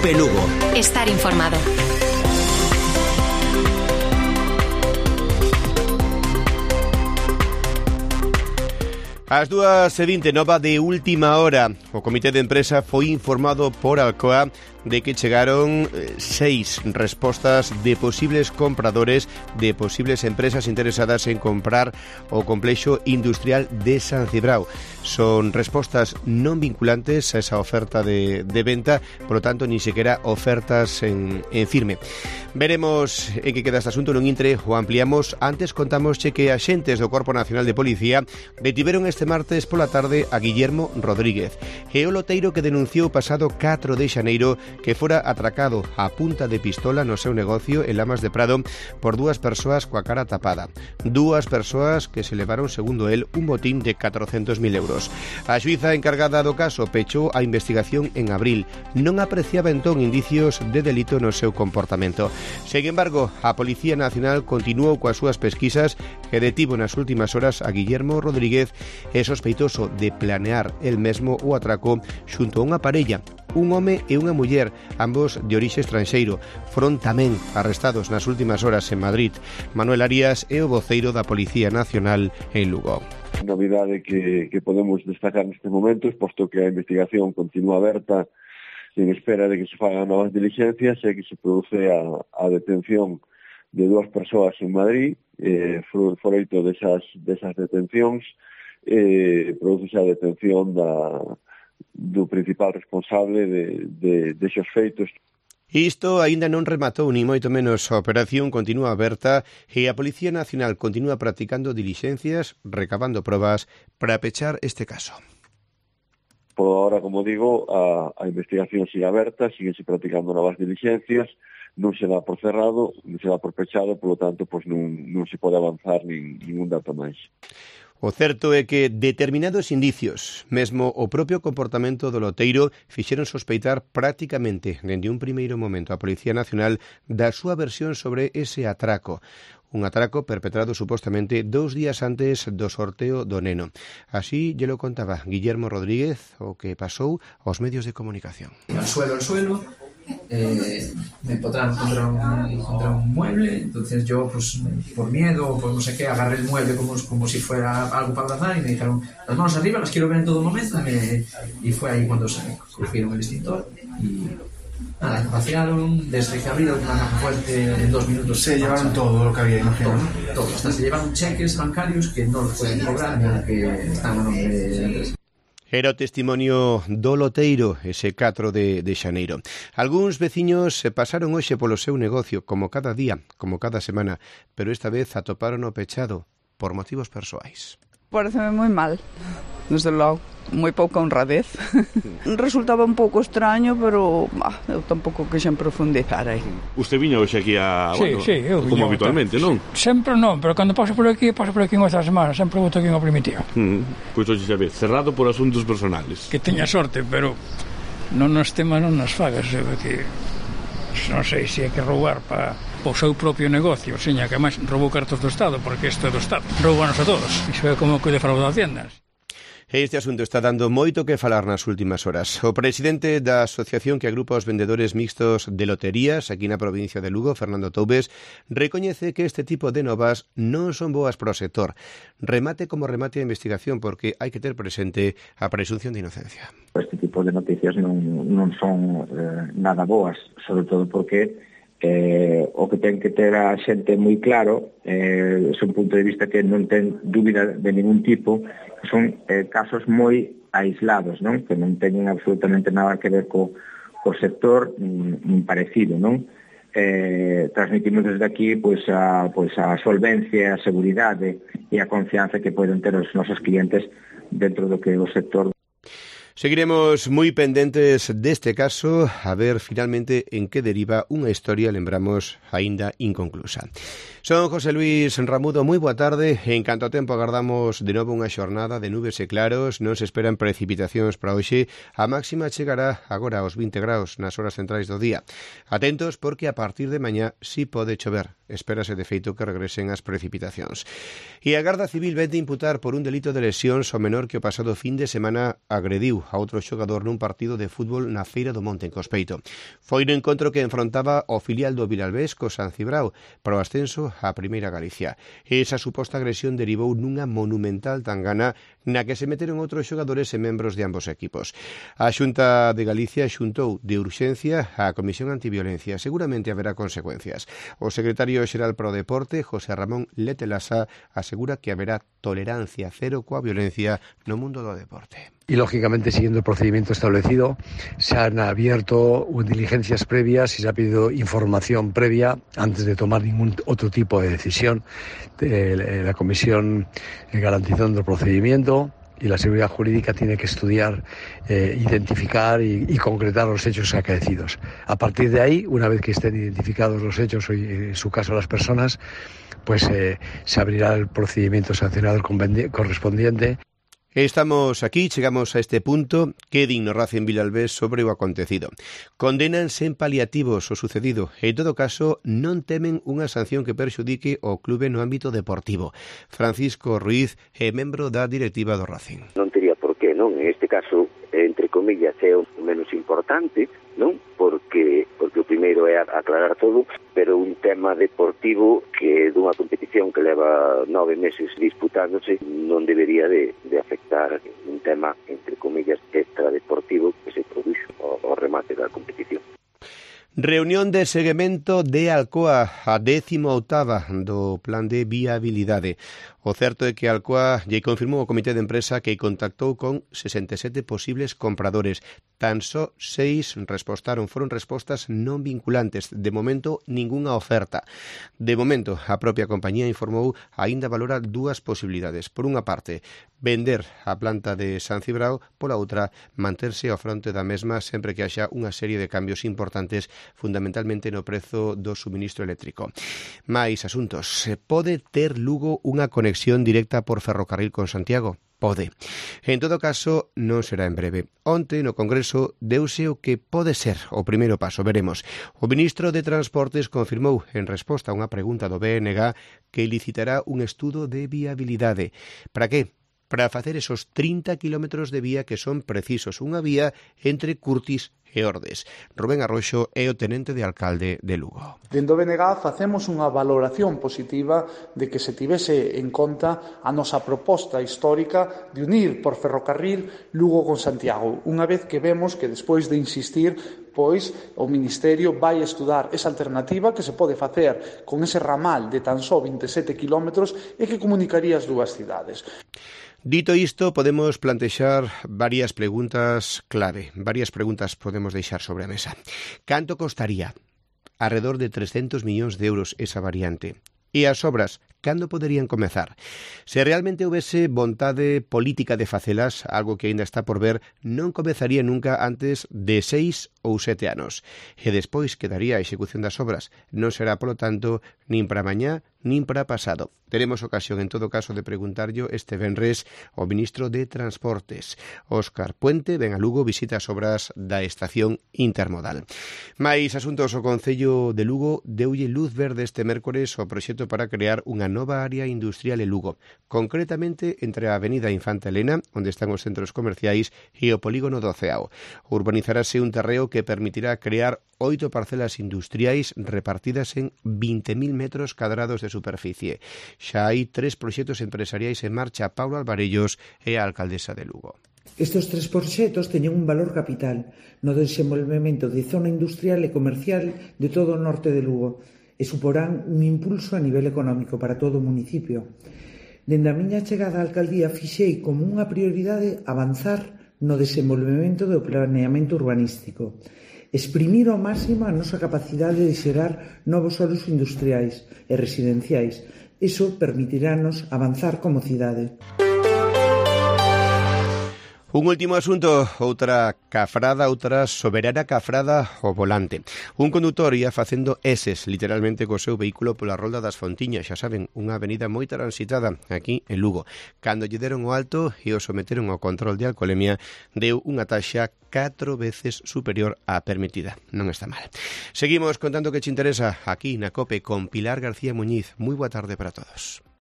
Cope Lugo. Estar informado. Ás 2:20, nova de última hora. O comité de empresa foi informado por Alcoa de que chegaron 6 respostas de posibles compradores, de posibles empresas interesadas en comprar o complexo industrial de San Cibrao. Son respostas non vinculantes a esa oferta de venta, por lo tanto, ni sequera ofertas en firme. Veremos en que queda este asunto, non intre o ampliamos. Antes contámosche que axentes do Corpo Nacional de Policía detiveron este martes pola tarde a Guillermo Rodríguez, e o loteiro que denunciou o pasado 4 de xaneiro que fora atracado a punta de pistola no seu negocio en Lamas de Prado por 2 persoas coa cara tapada. 2 persoas que se levaron, segundo el, un botín de 400.000 euros. A xuíza encargada do caso pechou a investigación en abril. Non apreciaba entón indicios de delito no seu comportamento. Sen embargo, a Policía Nacional continuou coas súas pesquisas e detivo nas últimas horas a Guillermo Rodríguez, é sospeitoso de planear el mesmo o atraco xunto a unha parella, un home e unha muller, ambos de orixe estranxeiro. Foron tamén arrestados nas últimas horas en Madrid. Manuel Arias é o voceiro da Policía Nacional en Lugo. Novidade que podemos destacar nestes momentos, posto que a investigación continúa aberta en espera de que se fagan novas diligencias, e que se produce a detención de 2 persoas en Madrid. Froito desas detencións, produce a detención do principal responsable de esos feitos. Isto aínda non rematou, ni moito menos. A operación continúa aberta e a Policía Nacional continúa practicando dilixencias, recabando probas para pechar este caso. Por ahora, como digo, a investigación sigue aberta, síguense practicando novas dilixencias, non se dá por cerrado, non se dá por pechado, polo tanto, pois non se pode avanzar ningún dato máis. O certo é que determinados indicios, mesmo o propio comportamento do loteiro, fixeron sospeitar prácticamente dende un primeiro momento a Policía Nacional da súa versión sobre ese atraco. Un atraco perpetrado supostamente 2 días antes do sorteo do neno. Así lle lo contaba Guillermo Rodríguez, o que pasou aos medios de comunicación. Al suelo, me empotraron contra un mueble, entonces yo, pues por miedo, por no sé qué, agarré el mueble como si fuera algo para abrazar, y me dijeron, las manos arriba, las quiero ver en todo momento, y fue ahí cuando se cogieron el extintor y nada, vaciaron, desde que abrieron una caja fuerte en 2 minutos. Se llevaron todo lo que había, imagino. Todo, hasta se llevaron cheques bancarios que no los pueden cobrar, ni aunque están a nombre de la empresa. Era o testimonio do loteiro ese 4 de xaneiro. Algúns veciños se pasaron hoxe polo seu negocio, como cada día, como cada semana, pero esta vez atoparon o pechado por motivos persoais. Pareceme moi mal, desde logo, moi pouca honradez. Resultaba un pouco extraño, pero eu tampouco quixen profundizar aí. Usted viña hoxe aquí a... Sí, eu como habitualmente, non? Sempre non, pero cando paso por aquí en outra semana, sempre voto aquí unha primitiva. Pois hoxe xa vez, cerrado por asuntos personales. Que teña sorte, pero non nos tema non nos fagas, que non sei se hai que roubar para o seu propio negocio, seña que máis roubou cartos do Estado, porque isto é do Estado, roubanos a todos, iso é como que defrauda Haciendas. Este asunto está dando moito que falar nas últimas horas. O presidente da asociación que agrupa os vendedores mixtos de loterías aquí na provincia de Lugo, Fernando Toubes, recoñece que este tipo de novas non son boas para o sector. Remate como remate a investigación, porque hai que ter presente a presunción de inocencia. Este tipo de noticias non son nada boas, sobre todo porque o que ten que ter a xente moi claro é un punto de vista que non ten dúbida de ningún tipo, que son casos moi aislados, non? Que non teñen absolutamente nada que ver co sector nin parecido, non? Transmitimos desde aquí pois a solvencia, a seguridade e a confianza que poden ter os nosos clientes dentro do que é o sector. Seguiremos moi pendentes deste caso, a ver finalmente en que deriva unha historia, lembramos, aínda inconclusa. Son José Luis Ramudo, moi boa tarde. En canto a tempo agardamos de novo unha xornada de nubes e claros, non se esperan precipitacións para hoxe, a máxima chegará agora aos 20 graus nas horas centrais do día. Atentos porque a partir de mañá si pode chover, espérase de feito que regresen as precipitacións. E a Garda Civil vén de imputar por un delito de lesións ao menor que o pasado fin de semana agrediu a outro xogador nun partido de fútbol na Feira do Monte en Cospeito. Foi no encontro que enfrontaba o filial do Vilalbés co San Cibrao para o ascenso á Primeira Galicia. Esa suposta agresión derivou nunha monumental tangana na que se meteron outros xogadores e membros de ambos equipos. A Xunta de Galicia xuntou de urxencia a Comisión Antiviolencia. Seguramente haberá consecuencias. O secretario xeral para o Deporte, José Ramón Letelasa, asegura que haberá tolerancia cero coa violencia no mundo do deporte. Y, lógicamente, siguiendo el procedimiento establecido, se han abierto diligencias previas y se ha pedido información previa antes de tomar ningún otro tipo de decisión. La Comisión garantizando el procedimiento y la seguridad jurídica tiene que estudiar, identificar y concretar los hechos acaecidos. A partir de ahí, una vez que estén identificados los hechos, o en su caso las personas, pues se abrirá el procedimiento sancionador correspondiente. Estamos aquí, chegamos a este punto. Que din no Racing Vilalbés sobre o acontecido. Condenan sen paliativos o sucedido e, en todo caso, non temen unha sanción que perxudique o clube no ámbito deportivo. Francisco Ruiz é membro da directiva do Racing. Non teria por qué, non? En este caso, entre comillas, é o menos importante, non? Porque o primeiro é aclarar todo, pero un tema deportivo que dunha competición que leva 9 meses disputándose non debería de afectar un tema, entre comillas, extradeportivo que se produxo ao remate da competición. Reunión de seguimento de Alcoa, a 18ª do plan de viabilidade. O certo é que Alcoa lle confirmou o comité de empresa que contactou con 67 posibles compradores. Tan só 6 foron respostas non vinculantes. De momento, ningunha oferta. De momento, a propia compañía informou aínda valora dúas posibilidades. Por unha parte, vender a planta de San Cibrao, pola outra, manterse ao fronte da mesma sempre que haxa unha serie de cambios importantes, fundamentalmente no prezo do suministro eléctrico. Mais asuntos. Pode ter Lugo unha conexión directa por ferrocarril con Santiago? Pode. En todo caso, non será en breve. Onte, no Congreso, deuse o que pode ser o primeiro paso, veremos. O ministro de Transportes confirmou, en resposta a unha pregunta do BNG, que licitará un estudo de viabilidade. Para que? Para facer esos 30 kilómetros de vía que son precisos. Unha vía entre Curtis e Ordes. Rubén Arroxo é o tenente de alcalde de Lugo. Dentro do BNG facemos unha valoración positiva de que se tivese en conta a nosa proposta histórica de unir por ferrocarril Lugo con Santiago. Unha vez que vemos que despois de insistir, pois o Ministerio vai estudar esa alternativa que se pode facer con ese ramal de tan só 27 kilómetros e que comunicaría as dúas cidades. Dito isto, podemos plantexar varias preguntas clave. Varias preguntas podemos deixar sobre a mesa. Canto costaría? Arredor de 300 millóns de euros esa variante. E as obras, cando poderían comezar? Se realmente houvese vontade política de facelas, algo que aínda está por ver, non comezaría nunca antes de 6 ou 7 anos. E despois quedaría a execución das obras. Non será, polo tanto, nin para mañá, nin para pasado. Teremos ocasión, en todo caso, de preguntarllo este venres ao ministro de Transportes. Óscar Puente ven a Lugo, visita as obras da estación intermodal. Mais asuntos, o Concello de Lugo deulle luz verde este mércores ao proxecto para crear unha nova área industrial en Lugo, concretamente entre a avenida Infanta Elena, onde están os centros comerciais, e o polígono do Ceao. Urbanizarase un terreo que permitirá crear 8 parcelas industriais repartidas en 20.000 metros cadrados de superficie. Xa hai 3 proxectos empresariais en marcha. Paulo Alvarellos é a alcaldesa de Lugo. Estes 3 proxectos teñen un valor capital no desenvolvemento de zona industrial e comercial de todo o norte de Lugo e suporán un impulso a nivel económico para todo o municipio. Dende a miña chegada á alcaldía fixei como unha prioridade avanzar no desenvolvemento do planeamento urbanístico, exprimir ao máximo a nosa capacidade de xerar novos solos industriais e residenciais. Iso permitirános avanzar como cidade. Un último asunto, outra soberana cafrada ao volante. Un condutor ia facendo eses, literalmente, co seu vehículo pola rolda das Fontiñas, xa saben, unha avenida moi transitada aquí en Lugo. Cando lle deron o alto e o someteron ao control de alcolemia, deu unha taxa 4 veces superior á permitida. Non está mal. Seguimos contando que che interesa aquí na COPE con Pilar García Muñiz. Moi boa tarde para todos.